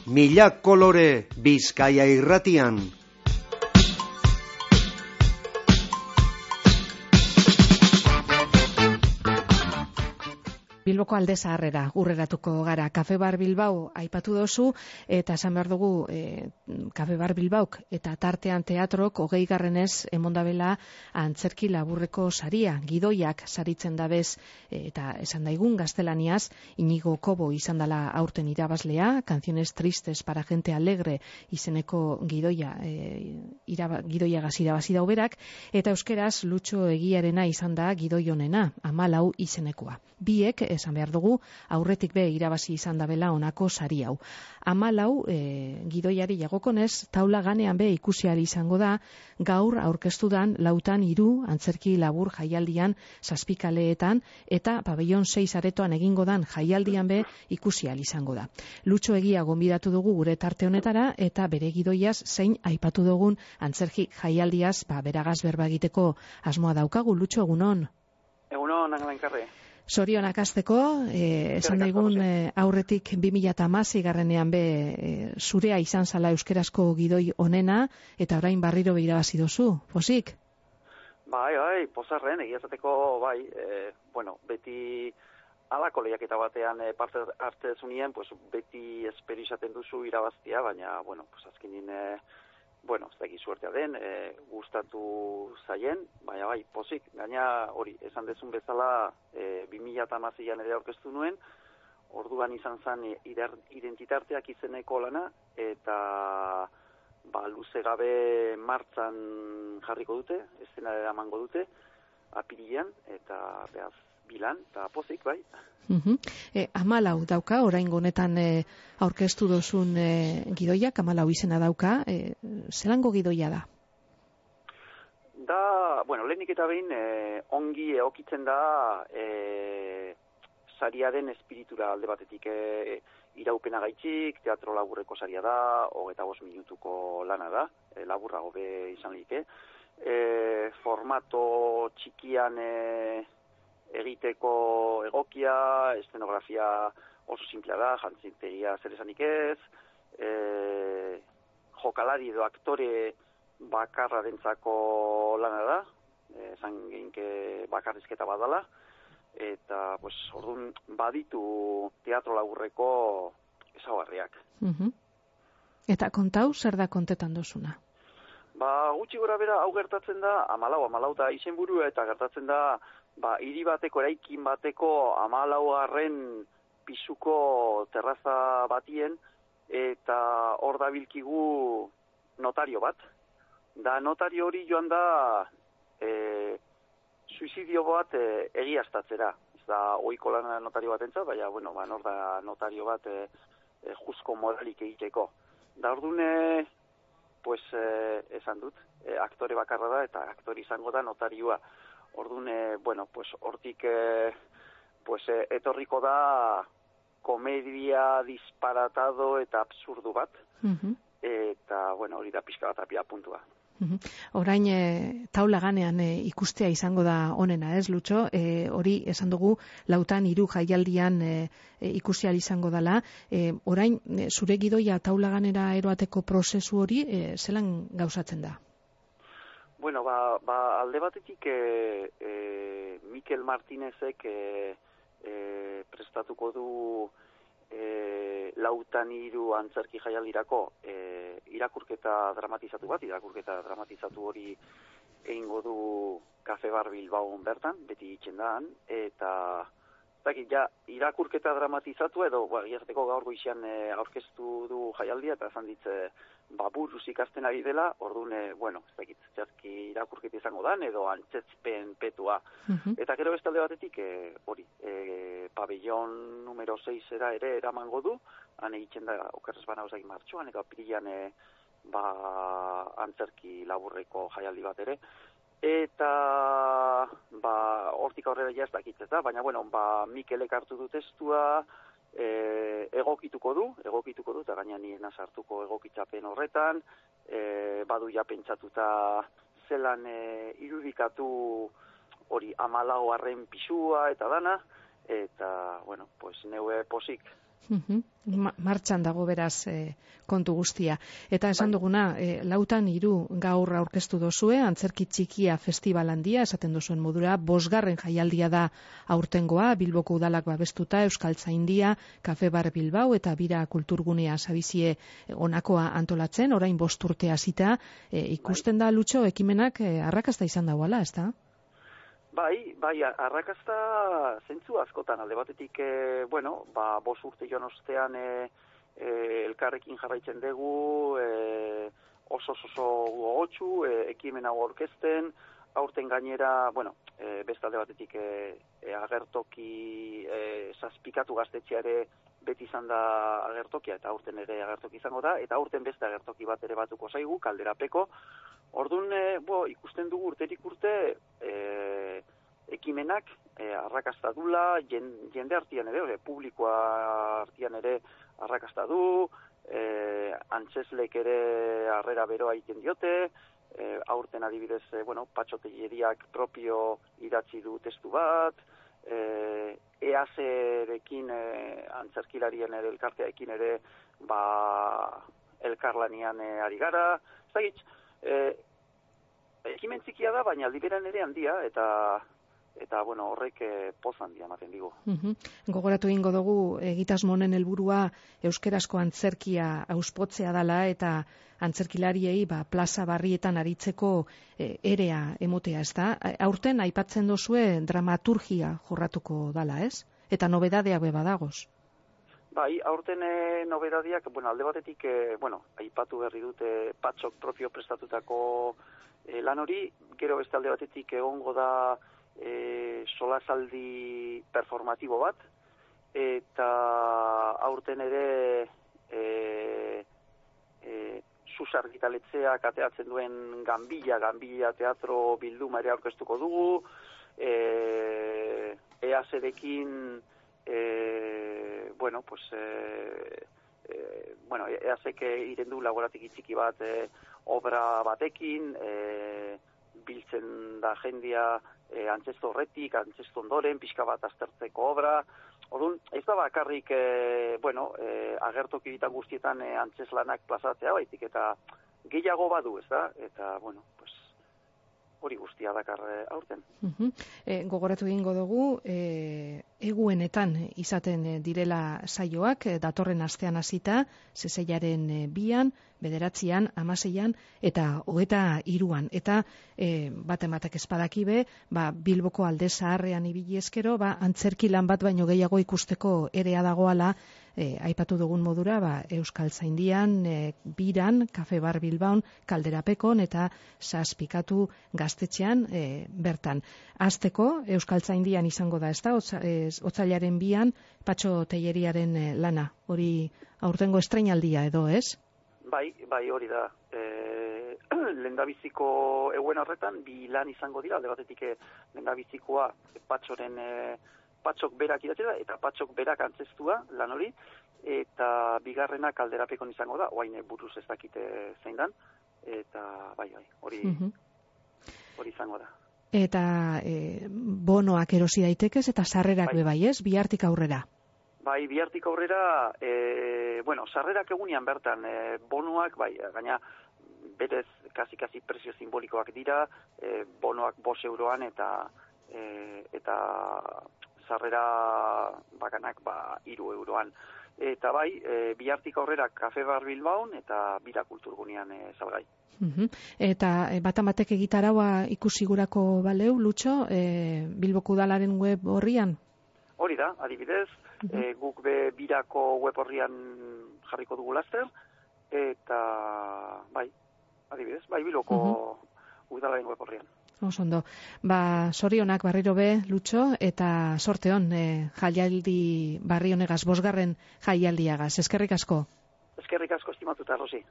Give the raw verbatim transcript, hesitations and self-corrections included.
Mila kolore Bizkaia irratian. Bilboko Alde Zaharrera urreratuko gara. Kafe Bar Bilbao aipatu dozu, eta esan behar dugu e, Kafe Bar Bilbaok eta tartean teatrok hogei garrenez emondabela antzerki laburreko saria, gidoiak saritzen dabez, e, eta esan daigun gaztelaniaz, Inigo Kobo izan dela aurten irabazlea, Canciones Tristes para Gente Alegre izeneko gidoia, e, iraba, gidoiagaz irabazi da uberak, eta euskeraz Lutxo Egiarena izan da gidoi honena, Hamalau izenekoa. Biek, esan behar dugu, aurretik be irabazi izan dabela honako sari hau. Hamalau e, gidoiari jagokonez, taula ganean be ikusi ahal izango da, gaur aurkeztudan lautan hiru antzerki labur jaialdian zazpikaleetan, eta pabellon sei aretoan egingo dan jaialdian be ikusi ahal izango da. Lutxo Egia gonbidatu dugu gure tarte honetara, eta bere gidoiaz zein aipatu dugun antzerki jaialdiaz ba, beragaz berba egiteko asmoa daukagu. Lutxo, egunon? Egunon, Angalankarre. Zorionak hasteko, eh, esan daigun eh, aurretik bi mila hamasei garrenean be eh, zurea izan zala euskerazko gidoi onena, eta orain berriro be irabazi dozu, posik? Bai, bai, pozarren, egia esateko, bai, eh, bueno, beti alako lehiaketa batean eh, parte hartze zunien, pues, beti espero izaten duzu irabaztia, baina, bueno, pues, azkenin, eh, bueno, ez dakit suertea den, e, gustatu zaien, baina bai, pozik, gaina hori, esan dezun bezala, e, bi mila hamaseian ere aurkeztu nuen, orduan izan zen identitarteak izeneko lana, eta ba, luze gabe martzan jarriko dute, eszenara emango dute, apirilean, eta behaz bilan, eta pozik, bai. Uh-huh. E, Hamalau dauka, oraingo honetan e, aurkeztu dozun e, gidoiak, Hamalau izena dauka, e, zelango gidoia da? Da, bueno, lehenik eta behin e, ongi egokitzen da e, sariaren espiritura alde batetik e, iraupena gaitxik, teatro laburreko saria da, hogeita bost minutuko lana da, e, laburrago be izan like. E, formato txikian e, egiteko egokia, eszenografia oso simplea da, jantzintegia zer esanik ez, e, jokalari edo aktore bakarrarentzako lana da, e, esan geinke bakarrizketa badala, eta pues, orduan baditu teatro laburreko ezaugarriak. Uh-huh. Eta kontau, zer da kontetan dozuna? Ba, gutxi gora bera, hau gertatzen da, Hamalau, Hamalau da izenburua, eta gertatzen da, ba, hiri bateko, eraikin bateko hamalaugarren pisuko terraza batien, eta hor dabilkigu notario bat. Da notario hori joan da e, suizidio bat e, egiaztatzera. Ez da ohiko lana notario bat entzat, baina, bueno, ba, nor da notario bat e, e, jusko moralik egiteko. Da ordune, pues, e, esan dut, e, aktore bakarra da, eta aktore izango da notarioa. Orduan, bueno, pues, hortik eh, pues, eh, etorriko da komedia disparatado eta absurdu bat, uh-huh. Eta, bueno, hori da pixka bat apia puntua. Uh-huh. Orain, e, taula ganean e, ikustea izango da onena, ez, Lutxo? E, hori, esan dugu, lautan hiru jaialdian e, e, ikusial izango dela. E, orain, e, zure gidoia taula ganera eroateko prozesu hori, e, zelan gauzatzen da? Bueno, ba, ba alde batetik e, e, Mikel Martinezek e, e, prestatuko du e, lautan hiru antzerki jaialdirako e, irakurketa dramatizatu bat, irakurketa dramatizatu hori egingo du Kafe Bar Bilbao bertan, beti itxendan, eta dakit, ja, irakurketa dramatizatu edo, ba, giazteko gaur goizean e, aurkeztu du jaialdia, eta esan ditze, ba, buruz ikasten ari dela, orduan, e, bueno, ez dakit, txarki irakurketa izango dan, edo antzetzpen petua. Uh-huh. Eta gero beste alde batetik, e, hori, e, pabellon numero seis era ere eramango du, han egiten da, okerrez bana osak martxoan, eta apirilean, e, ba, antzerki laburreko jaialdi bat ere, eta, ba, hortik aurrera ja ez dakitzeta, baina, bueno, ba, Mikelek hartu du testua, E, egokituko du, egokituko du, eta gaina nien sartuko egokitzapen horretan, e, badu ja pentsatuta zelan e, irudikatu hori hamalaugarren pisua eta dana, eta, bueno, pues, neue posik Mhm. Ma- martxan dago beraz e, kontu guztia. Eta esan duguna, e, lautan hiru gaur aurkeztu dozue, antzerki txikia festival handia, esaten duzuen modura, bosgarren jaialdia da aurtengoa, Bilboko udalak babestuta, Euskaltzaindia, Kafe Bar Bilbao eta Bira Kulturgunea sabizie onakoa antolatzen, orain bost urte hasita, e, ikusten da Lutxo ekimenak e, arrakasta izan dagoela, ezta? Bai, bai, arrakasta zentzu askotan, alde batetik, e, bueno, ba, bos urte joan ostean e, e, elkarrekin jarraitzen dugu, e, oso oso gogotsu, e, ekimen hau aurkezten, aurten gainera, bueno, e, beste alde batetik e, e, agertoki e, zazpikatu gaztetxea ere beti izan da agertokia, eta aurten ere agertoki izango da, eta aurten beste agertoki bat ere batuko zaigu, Kalderapeko. Orduan, e, bo, ikusten dugu urterik urte, e, ekimenak e, arrakasta dula, jende artean ere, ore, publikoa artean ere arrakasta du, e, antzeslek ere harrera beroa egiten diote, e, aurten adibidez, e, bueno, patxotelleriak propio idatzi du testu bat, e, eazerekin, e, antzerkilarien ere elkarteaekin ere, ba, elkarlanian e, ari gara, zagitz, E, ekimen txikia da, baina aldi beran ere handia, eta eta bueno, horrek e, poz handia ematen digu. Uhum. Gogoratu egingo dugu egitasmonen helburua euskerazko antzerkia auspotzea dala eta antzerkilariei ba, plaza barrietan aritzeko e, erea emotea, ez da? Aurten aipatzen dozue dramaturgia jorratuko dala, ez? Eta nobedadeak be badagoz. Bai, aurten e, nobedadiak, bueno, alde batetik, e, bueno, aipatu berri dute patxok propio prestatutako e, lan hori, gero beste alde batetik egongo da e, solasaldi performatibo bat, eta aurten ere e, e, Susar Gitaletzeak ateatzen duen Ganbila, Ganbila teatro bilduma ere aurkeztuko dugu, e, eazerekin E, bueno, pues e, e, bueno, eazek iren du laboratiki txiki bat e, obra batekin, e, biltzen da jendia e, antzesto horretik, antzesto ondoren, pixka bat aztertzeko obra. Orduan, ez da bakarrik, e, bueno, e, agertoki ditan guztietan e, antzeslanak plazatzea baitik, eta gehiago badu, ez da? Eta, bueno, pues, hori guztia dakar aurten. Uh-huh. E, gogoratu egingo dugu, e, eguenetan izaten direla saioak, datorren astean hasita, zeseiaren bian, bederatzian, amaseian, eta hogeta hiruan. Eta e, bat ematek espadakibe, ba, Bilboko alde zaharrean ibili eskero, ba, antzerki lan bat baino gehiago ikusteko erea dagoala, e, aipatu dugun modura, ba, Euskaltzaindian, e, Biran, Kafe Bar Bilbaon, Kalderapekon, eta zazpikatu gaztetxean e, bertan. Azteko, Euskaltzaindian izango da, ez da, otzailaren bian, Patxo Telleriaren e, lana, hori aurtengo estrainaldia edo, ez? Bai, bai hori da. E, lendabiziko eguen horretan, bi lan izango dira, alde batetik lendabizikoa patxoren, e, patxok berak idatzi da, eta patxok berak antzestua lan hori, eta bigarrena Kalderapekon izango da, oain buruz ez dakite zein dan, eta bai, bai, hori, uh-huh. hori izango da. Eta e, bonoak erosi daitekez, eta sarrerak bai. Bebai, ez? Bihartik aurrera. Bai, bihartik aurrera, e, bueno, sarrerak egunean bertan, e, bonuak, bai, gaina berez kasi-kasi prezio simbolikoak dira, e, bonoak bos euroan eta e, eta sarrera bakanak ba, iru euroan. Eta bai, e, bihartik aurrera Kafe Bar Bilbaon eta Bira Kulturgunean e, salgai. Uhum. Eta e, bat amatek egitaraua ikusigurako baleu, Lutxo, e, Bilboko udalaren web horrian? Hori da, adibidez, uh-huh. e, guk be Birako web horrian jarriko dugu laster, eta bai, adibidez, bai Bilboko uh-huh. udalaren web horrian. Osondo. Ba, sorionak barriro be, Lutxo, eta sorte hon, e, jaialdi barri honegaz, bosgarren jaialdiagaz. Eskerrik asko. Eskerrik asko estimatuta, Rosi.